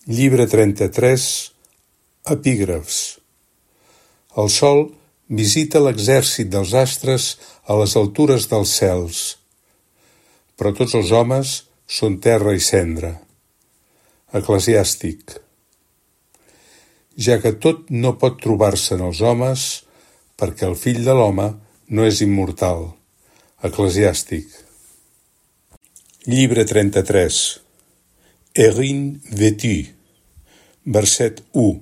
Llibre 33, epígrafs. El sol visita l'exèrcit dels astres a les altures dels cels, però tots els homes són terra i cendra. Eclesiàstic. Ja que tot no pot trobar-se en els homes, perquè el fill de l'home no és immortal. Eclesiàstic. Llibre 33. Erin Vetu, verset 1.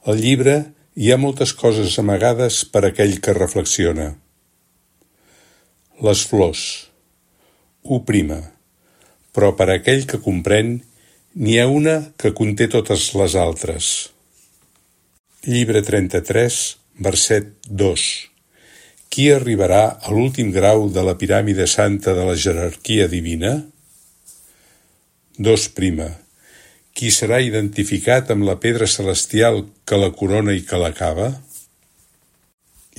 Al llibre hi ha moltes coses amagades per aquell que reflexiona. Les flors. 1. Però per aquell que comprèn, n'hi ha una que conté totes les altres. Llibre 33, verset 2. Qui arribarà a l'últim grau de la piràmide santa de la jerarquia divina? 2. Qui serà identificat amb la pedra celestial que la corona i que l'acaba?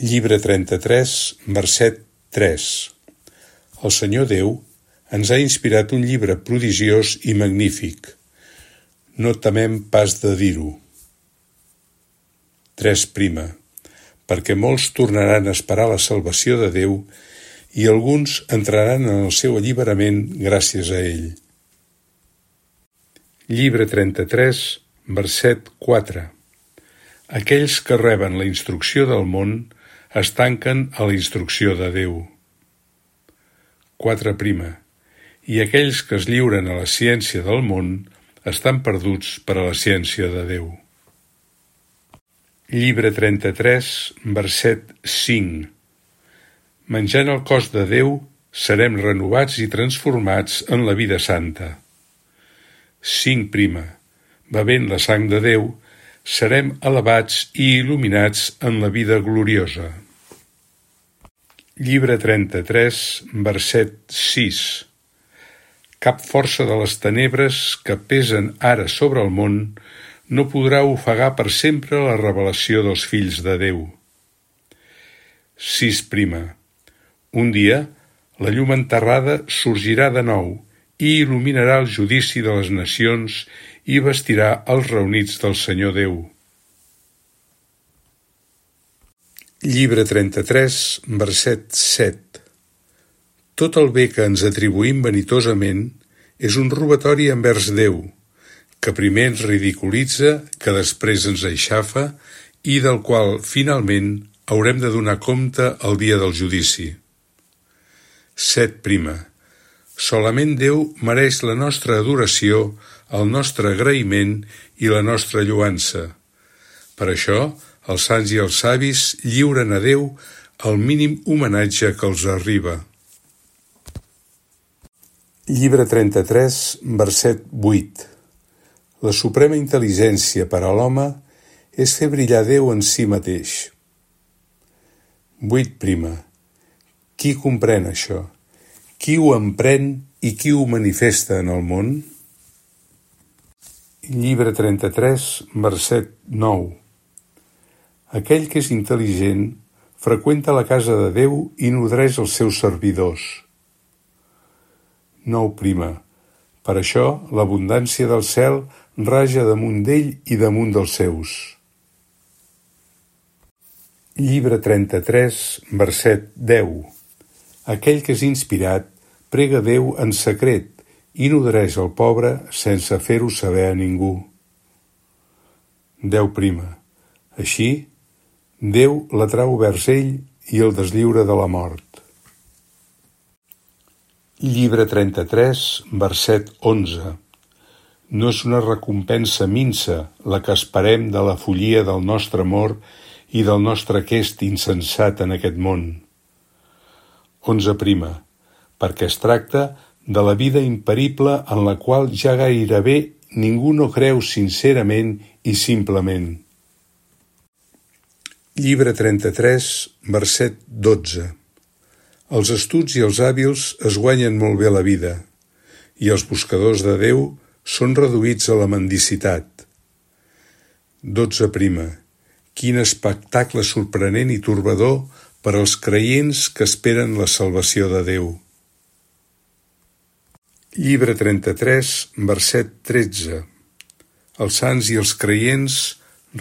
Llibre 33, verset 3. El Senyor Déu ens ha inspirat un llibre prodigiós i magnífic. No temem pas de dir-ho. 3. Perquè molts tornaran a esperar la salvació de Déu i alguns entraran en el seu alliberament gràcies a ell. Llibre 33, verset 4. Aquells que reben la instrucció del món es tanquen a la instrucció de Déu. 4. I aquells que es lliuren a la ciència del món estan perduts per a la ciència de Déu. Llibre 33, verset 5. Menjant el cos de Déu, serem renovats i transformats en la vida santa. 5. Bevent la sang de Déu, serem elevats i il·luminats en la vida gloriosa. Llibre 33, verset 6. Cap força de les tenebres que pesen ara sobre el món no podrà ofegar per sempre la revelació dels fills de Déu. 6. Un dia, la llum enterrada sorgirà de nou i il·luminarà el judici de les nacions i vestirà els reunits del Senyor Déu. Llibre 33, verset 7. Tot el bé que ens atribuïm vanitosament és un robatori envers Déu, que primer ens ridiculitza, que després ens aixafa i del qual, finalment, haurem de donar compte el dia del judici. 7. Solament Déu mereix la nostra adoració, el nostre agraïment i la nostra lloança. Per això, els sants i els savis lliuren a Déu el mínim homenatge que els arriba. Llibre 33, verset 8. La suprema intel·ligència per a l'home és fer brillar Déu en si mateix. 8. Qui comprèn això? Qui ho emprèn i qui ho manifesta en el món? Llibre 33, verset 9. Aquell que és intel·ligent freqüenta la casa de Déu i nodreix els seus servidors. 9. Per això l'abundància del cel raja damunt d'ell i damunt dels seus. Llibre 33, verset 10. Aquell que és inspirat prega Déu en secret i nodreix el pobre sense fer-ho saber a ningú. 10. Així, Déu l'atrau vers ell i el deslliura de la mort. Llibre 33, verset 11. No és una recompensa minsa la que esperem de la follia del nostre amor i del nostre aquest insensat en aquest món. 11. Perquè es tracta de la vida imperible en la qual ja gairebé ningú no creu sincerament i simplement. Llibre 33, verset 12. Els astuts i els hàbils es guanyen molt bé la vida, i els buscadors de Déu són reduïts a la mendicitat. 12. Quin espectacle sorprenent i torbador per als creients que esperen la salvació de Déu. Llibre 33, verset 13. Els sants i els creients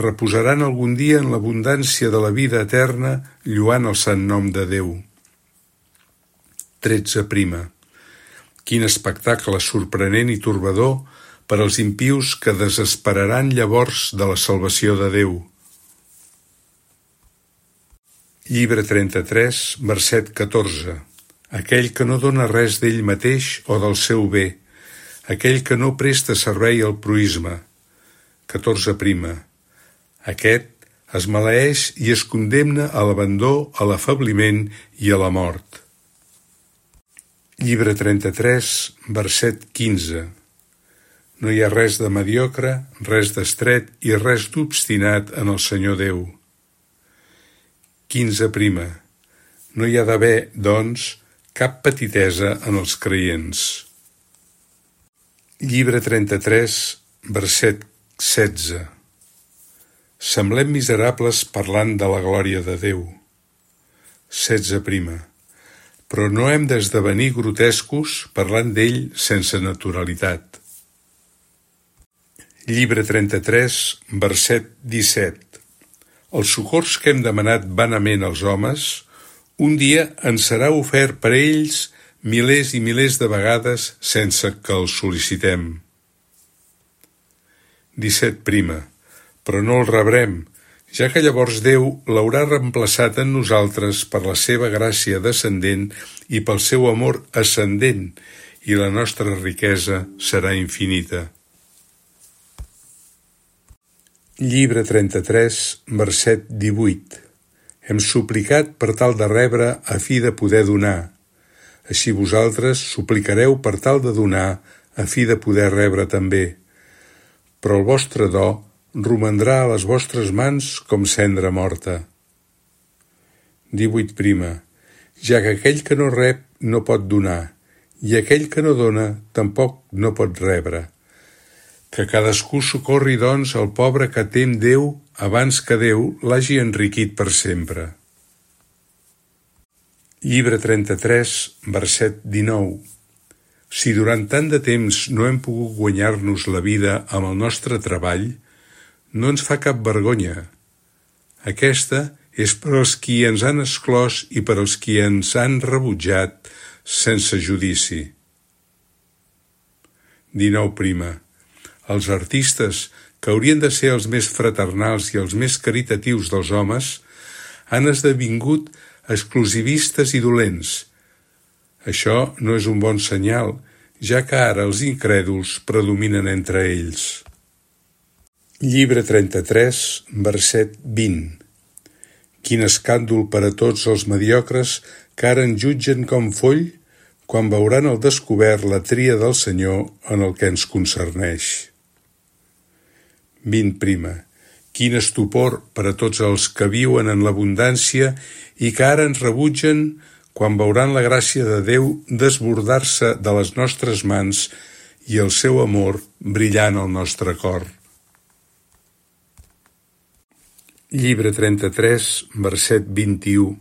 reposaran algun dia en l'abundància de la vida eterna, lloant el sant nom de Déu. 13. Quin espectacle sorprenent i torbador per als impius que desesperaran llavors de la salvació de Déu. Llibre 33, verset 14. Aquell que no dona res d'ell mateix o del seu bé, aquell que no presta servei al proïsme. 14. Aquest es maleeix i es condemna a l'abandó, a l'afebliment i a la mort. Llibre 33, verset 15. No hi ha res de mediocre, res d'estret i res d'obstinat en el Senyor Déu. 15. No hi ha d'haver, doncs, cap petitesa en els creients. Llibre 33, verset 16. Semblem miserables parlant de la glòria de Déu. 16. Però no hem d'esdevenir grotescos parlant d'ell sense naturalitat. Llibre 33, verset 17. Els socors que hem demanat vanament als homes, un dia ens serà ofert per ells milers i milers de vegades sense que els sol·licitem. 17. Però no el rebrem, ja que llavors Déu l'haurà reemplaçat en nosaltres per la seva gràcia descendent i pel seu amor ascendent, i la nostra riquesa serà infinita. Llibre 33, verset 18. Hem suplicat per tal de rebre a fi de poder donar. Així vosaltres suplicareu per tal de donar a fi de poder rebre també. Però el vostre do romandrà a les vostres mans com cendra morta. 18. Ja que aquell que no rep no pot donar, i aquell que no dona tampoc no pot rebre. Que cadascú socorri, doncs, el pobre que tem Déu abans que Déu l'hagi enriquit per sempre. Llibre 33, verset 19. Si durant tant de temps no hem pogut guanyar-nos la vida amb el nostre treball, no ens fa cap vergonya. Aquesta és per als qui ens han exclòs i per als qui ens han rebutjat sense judici. 19. Els artistes, que haurien de ser els més fraternals i els més caritatius dels homes, han esdevingut exclusivistes i dolents. Això no és un bon senyal, ja que ara els incrèduls predominen entre ells. Llibre 33, verset 20. Quin escàndol per a tots els mediocres que ara en jutgen com foll, quan veuran al descobert la tria del Senyor en el que ens concerneix. 20. Quin estupor per a tots els que viuen en l'abundància i que ara ens rebutgen quan veuran la gràcia de Déu desbordar-se de les nostres mans i el seu amor brillant al nostre cor. Llibre 33, verset 21.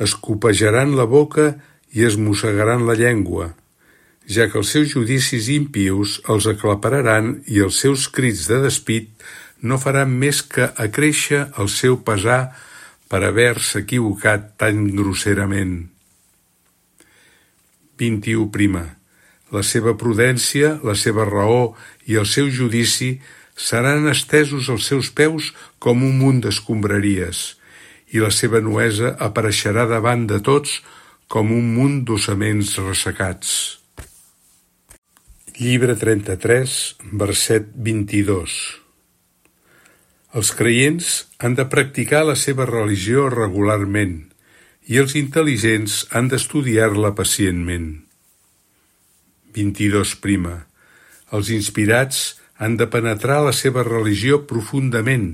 Es copejaran la boca i es mossegaran la llengua, ja que els seus judicis impius els aclapararan i els seus crits de despit no faran més que acréixer el seu pesar per haver-se equivocat tan grosserament. 21. La seva prudència, la seva raó i el seu judici seran estesos als seus peus com un munt d'escombraries, i la seva nuesa apareixerà davant de tots com un munt d'ossaments ressecats. Llibre 33, verset 22. Els creients han de practicar la seva religió regularment i els intel·ligents han d'estudiar-la pacientment. 22. Els inspirats han de penetrar la seva religió profundament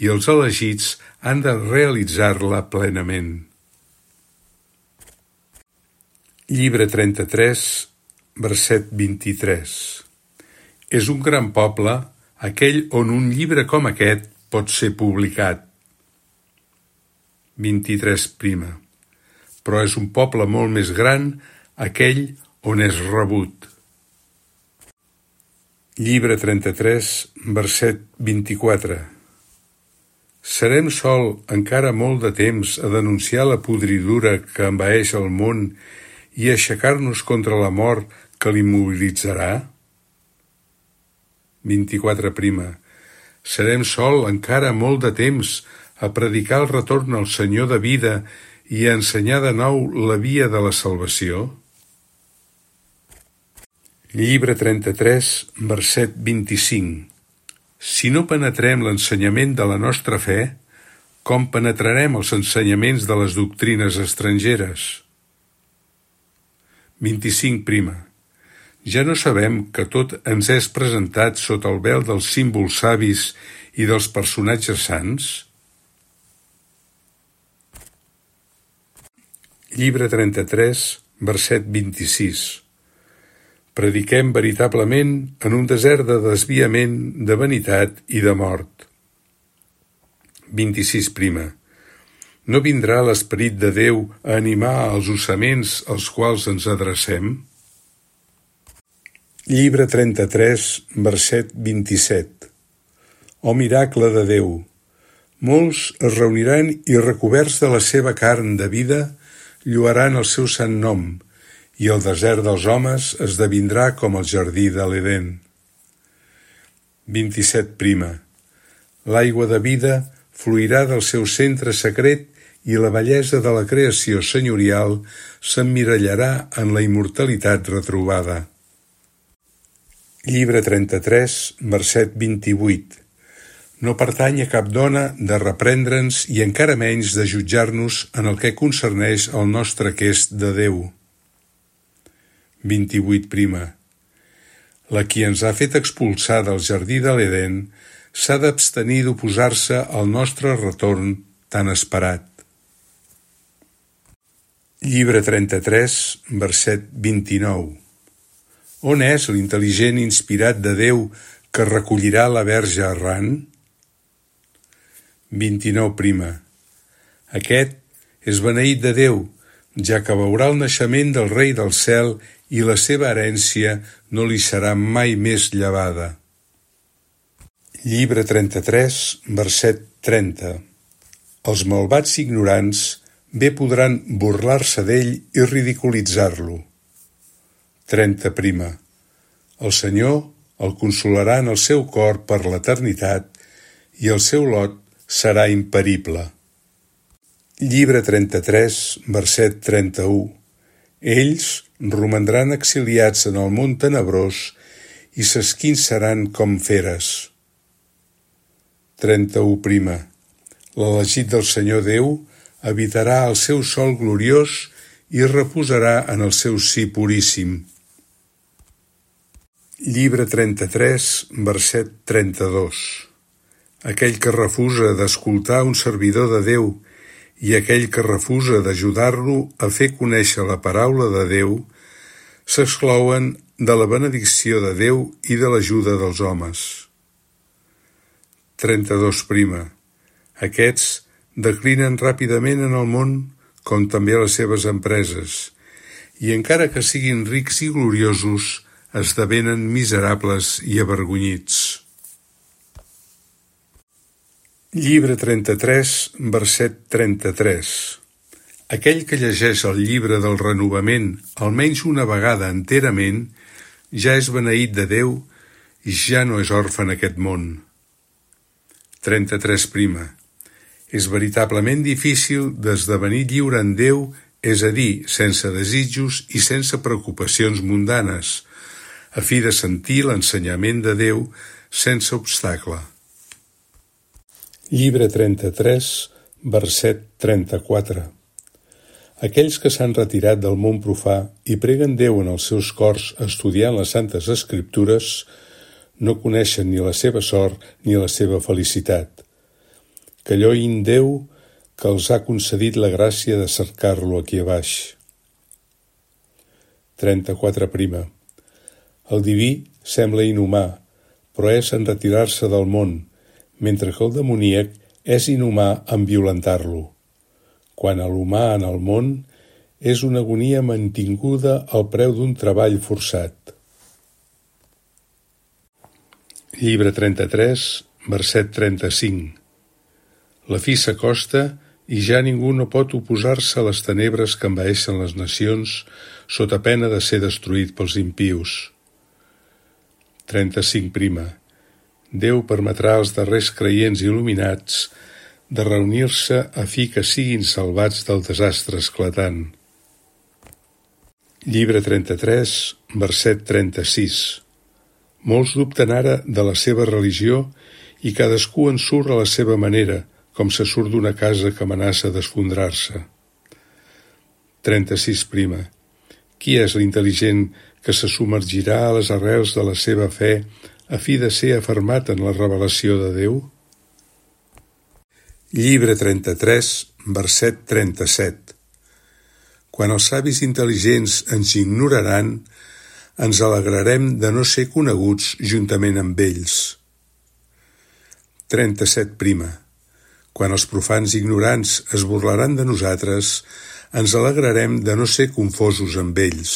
i els elegits han de realitzar-la plenament. Llibre 33, verset 23. És un gran poble aquell on un llibre com aquest pot ser publicat. 23. Però és un poble molt més gran aquell on és rebut. Llibre 33, verset 24. Serem sol encara molt de temps a denunciar la podridura que envaeix el món i aixecar-nos contra la mort que l'immobilitzarà? 24. Serem sol encara molt de temps a predicar el retorn al Senyor de vida i a ensenyar de nou la via de la salvació? Llibre 33, verset 25. Si no penetrem l'ensenyament de la nostra fe, com penetrarem els ensenyaments de les doctrines estrangeres? 25. Ja no sabem que tot ens és presentat sota el vel dels símbols savis i dels personatges sants? Llibre 33, verset 26. Prediquem veritablement en un desert de desviament, de vanitat i de mort. 26. No vindrà l'Esperit de Déu a animar els ossaments als quals ens adrecem? Llibre 33, verset 27. Oh miracle de Déu! Molts es reuniran i recoberts de la seva carn de vida lloaran el seu sant nom, i el desert dels homes esdevindrà com el jardí de l'Edèn. 27. L'aigua de vida fluirà del seu centre secret i la bellesa de la creació senyorial s'emmirallarà en la immortalitat retrobada. Llibre 33, verset 28. No pertany a cap dona de reprendre'ns i encara menys de jutjar-nos en el que concerneix el nostre quest de Déu. 28. La qui ens ha fet expulsar del jardí de l'Edèn s'ha d'abstenir d'oposar-se al nostre retorn tan esperat. Llibre 33, verset 29. On és l'intel·ligent inspirat de Déu que recollirà la verge errant? 29. Aquest és beneït de Déu, ja que veurà el naixement del Rei del cel i la seva herència no li serà mai més llevada. Llibre 33, verset 30. Els malvats ignorants bé podran burlar-se d'ell i ridiculitzar-lo. 30. El Senyor el consolarà en el seu cor per l'eternitat i el seu lot serà imperible. Llibre 33, verset 31. Ells romandran exiliats en el món tenebrós i s'esquinçaran com feres. 31. L'elegit del Senyor Déu habitarà al seu sol gloriós i reposarà en el seu sí puríssim. Llibre 33, verset 32. Aquell que refusa d'escoltar un servidor de Déu i aquell que refusa d'ajudar-lo a fer conèixer la paraula de Déu s'exclouen de la benedicció de Déu i de l'ajuda dels homes. 32. Aquests declinen ràpidament en el món, com també les seves empreses, i encara que siguin rics i gloriosos, esdevenen miserables i avergonyits. Llibre 33, verset 33. Aquell que llegeix el llibre del renovament almenys una vegada enterament ja és beneït de Déu i ja no és orfe en aquest món. 33. És veritablement difícil d'esdevenir lliure en Déu, és a dir, sense desitjos i sense preocupacions mundanes, a fi de sentir l'ensenyament de Déu sense obstacle. Llibre 33, verset 34. Aquells que s'han retirat del món profà i preguen Déu en els seus cors estudiant les Santes Escriptures no coneixen ni la seva sort ni la seva felicitat. Que lloïn Déu que els ha concedit la gràcia de cercar-lo aquí a baix. 34. El diví sembla inhumà, però és en retirar-se del món, mentre que el demoníac és inhumà en violentar-lo. Quan a l'humà en el món és una agonia mantinguda al preu d'un treball forçat. Llibre 33, verset 35. La fi s'acosta i ja ningú no pot oposar-se a les tenebres que envaeixen les nacions sota pena de ser destruït pels impius. 35. Déu permetrà als darrers creients il·luminats de reunir-se a fi que siguin salvats del desastre esclatant. Llibre 33, verset 36. Molts dubten ara de la seva religió i cadascú en surt a la seva manera, com se surt d'una casa que amenaça d'esfondrar-se. 36. Qui és l'intel·ligent que se submergirà a les arrels de la seva fe a fi de ser afermat en la revelació de Déu? Llibre 33, verset 37. Quan els savis intel·ligents ens ignoraran, ens alegrarem de no ser coneguts juntament amb ells. 37. Quan els profans ignorants es burlaran de nosaltres, ens alegrarem de no ser confosos amb ells.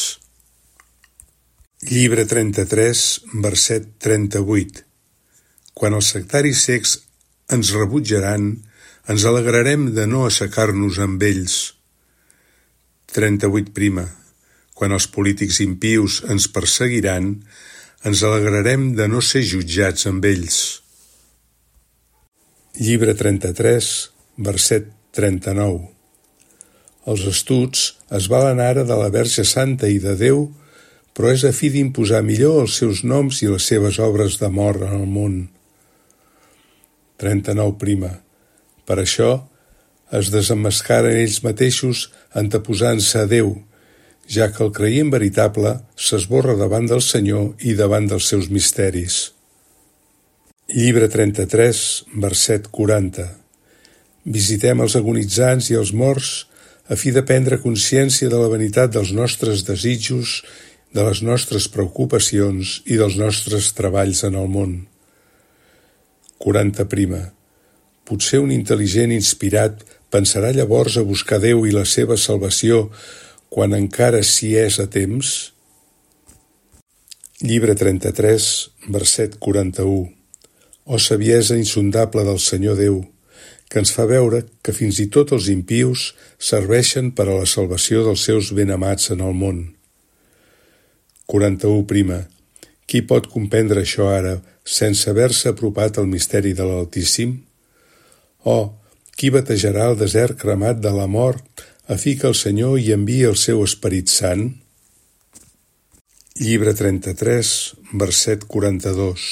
Llibre 33, verset 38. Quan els sectaris cecs ens rebutjaran, ens alegrarem de no assecar-nos amb ells. 38. Quan els polítics impius ens perseguiran, ens alegrarem de no ser jutjats amb ells. Llibre 33, verset 39. Els astuts es valen ara de la Verge Santa i de Déu, però és a fi d'imposar millor els seus noms i les seves obres d'amor en el món. 39. Per això es desemmascaren ells mateixos anteposant-se a Déu, ja que el creient veritable s'esborra davant del Senyor i davant dels seus misteris. Llibre 33, verset 40. Visitem els agonitzants i els morts a fi de prendre consciència de la vanitat dels nostres desitjos, de les nostres preocupacions i dels nostres treballs en el món. 40. Potser un intel·ligent inspirat pensarà llavors a buscar Déu i la seva salvació quan encara s'hi és a temps? Llibre 33, verset 41. O saviesa insondable del Senyor Déu, que ens fa veure que fins i tot els impius serveixen per a la salvació dels seus benamats en el món. 41. Qui pot comprendre això ara sense haver-se apropat al misteri de l'Altíssim? Qui batejarà el desert cremat de la mort a fi que el Senyor hi enviï el seu Esperit Sant? Llibre 33, verset 42.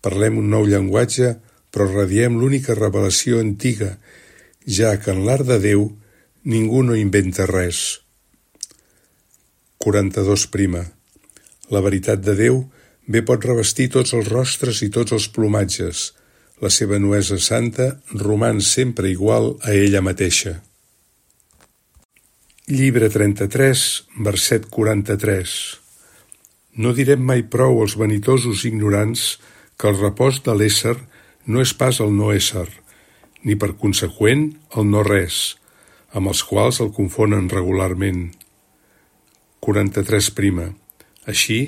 Parlem un nou llenguatge, però radiem l'única revelació antiga, ja que en l'art de Déu ningú no inventa res. 42. La veritat de Déu bé pot revestir tots els rostres i tots els plomatges. La seva nuesa santa roman sempre igual a ella mateixa. Llibre 33, verset 43. No direm mai prou als vanitosos ignorants que el repòs de l'ésser no és pas el no ésser, ni per conseqüent el no res, amb els quals el confonen regularment. 43. Així,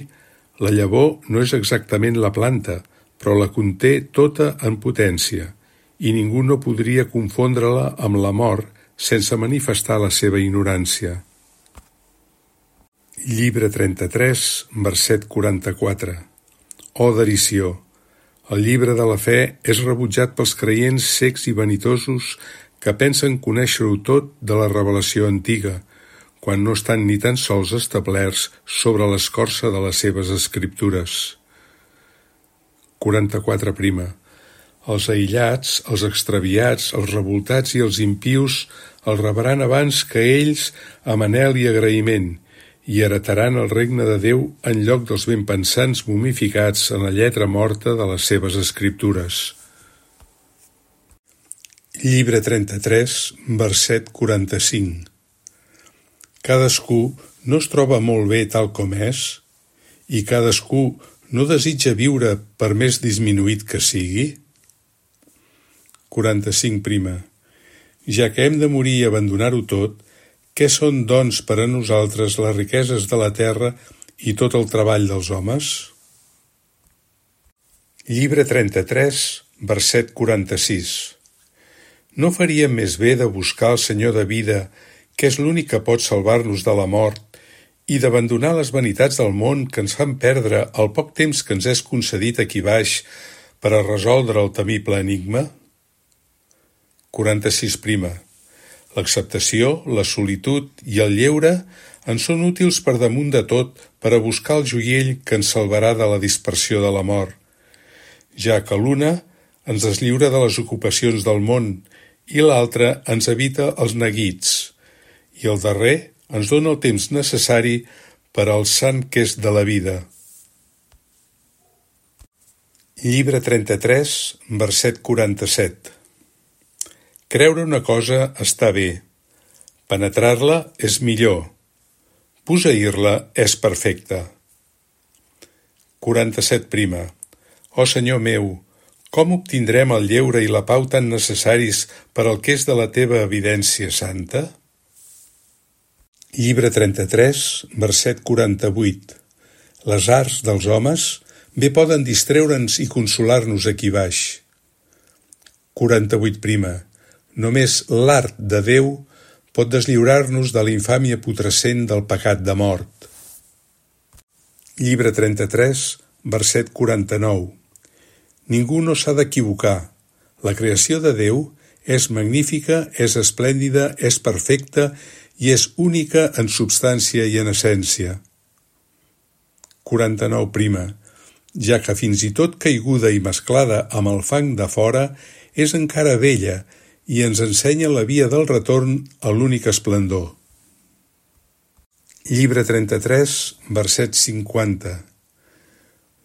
la llavor no és exactament la planta, però la conté tota en potència, i ningú no podria confondre-la amb la mort sense manifestar la seva ignorància. Llibre 33, verset 44. O derició! El llibre de la fe és rebutjat pels creients cecs i vanitosos que pensen conèixer-ho tot de la revelació antiga, quan no estan ni tan sols establerts sobre l'escorça de les seves escriptures. 44. Els aïllats, els extraviats, els revoltats i els impius el rebran abans que ells amb anhel i agraïment i heretaran el regne de Déu en lloc dels ben pensants momificats en la lletra morta de les seves escriptures. Llibre 33, verset 45. Cadascú no es troba molt bé tal com és, i cadascú no desitja viure per més disminuït que sigui? 45. Ja que hem de morir i abandonar-ho tot, què són, doncs, per a nosaltres les riqueses de la terra i tot el treball dels homes? Llibre 33, verset 46. No faríem més bé de buscar el Senyor de vida, que és l'únic que pot salvar-nos de la mort, i d'abandonar les vanitats del món que ens fan perdre el poc temps que ens és concedit aquí baix per a resoldre el temible enigma? 46. L'acceptació, la solitud i el lleure ens són útils per damunt de tot per a buscar el joiell que ens salvarà de la dispersió de la mort, ja que l'una ens deslliura de les ocupacions del món i l'altra ens evita els neguits, i el darrer ens dona el temps necessari per al sant que és de la vida. Llibre 33, verset 47. Creure una cosa està bé, penetrar-la és millor, posseir-la és perfecte. 47. Ó Senyor meu, com obtindrem el lleure i la pau tan necessaris per al que és de la teva evidència santa? Llibre 33, verset 48. Les arts dels homes bé poden distreure'ns i consolar-nos aquí baix. 48. Només l'art de Déu pot deslliurar-nos de la infàmia putrescent del pecat de mort. Llibre 33, verset 49. Ningú no s'ha d'equivocar. La creació de Déu és magnífica, és esplèndida, és perfecta i és única en substància i en essència. 49. Ja que fins i tot caiguda i mesclada amb el fang de fora, és encara bella i ens ensenya la via del retorn a l'únic esplendor. Llibre 33, verset 50.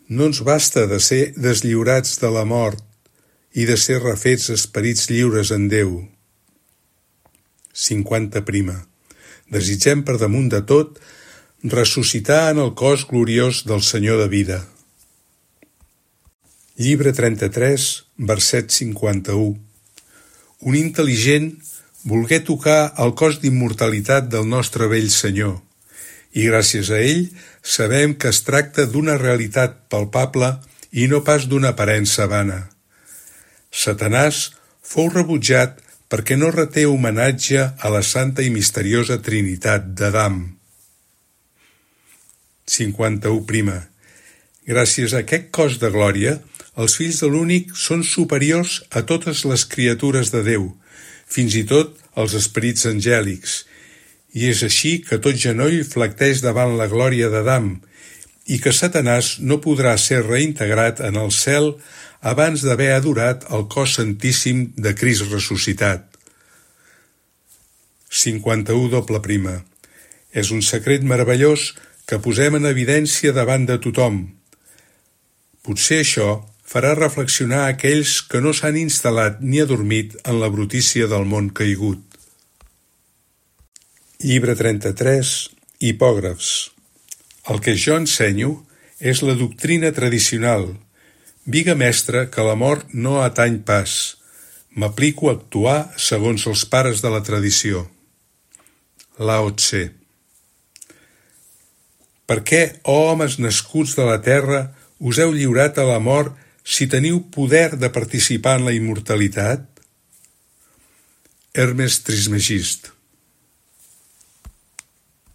No ens basta de ser deslliurats de la mort i de ser refets esperits lliures en Déu. 50. Desitgem per damunt de tot ressuscitar en el cos gloriós del Senyor de vida. Llibre 33, verset 51. Un intel·ligent volgué tocar el cos d'immortalitat del nostre vell Senyor, i gràcies a ell sabem que es tracta d'una realitat palpable i no pas d'una aparença vana. Satanàs fou rebutjat perquè no reté homenatge a la santa i misteriosa Trinitat d'Adam. 51. Gràcies a aquest cos de glòria, els fills de l'únic són superiors a totes les criatures de Déu, fins i tot els esperits angèlics, i és així que tot genoll flecteix davant la glòria d'Adam, i que Satanàs no podrà ser reintegrat en el cel abans d'haver adorat el cos santíssim de Crist ressuscitat. 51. És un secret meravellós que posem en evidència davant de tothom. Potser això farà reflexionar aquells que no s'han instal·lat ni adormit en la brutícia del món caigut. Llibre 33, hipògrafs. El que jo ensenyo és la doctrina tradicional, viga mestra que la mort no atany pas. M'aplico a actuar segons els pares de la tradició. Lao Tse. Per què, ó homes nascuts de la terra, us heu lliurat a la mort si teniu poder de participar en la immortalitat? Hermes Trismegist.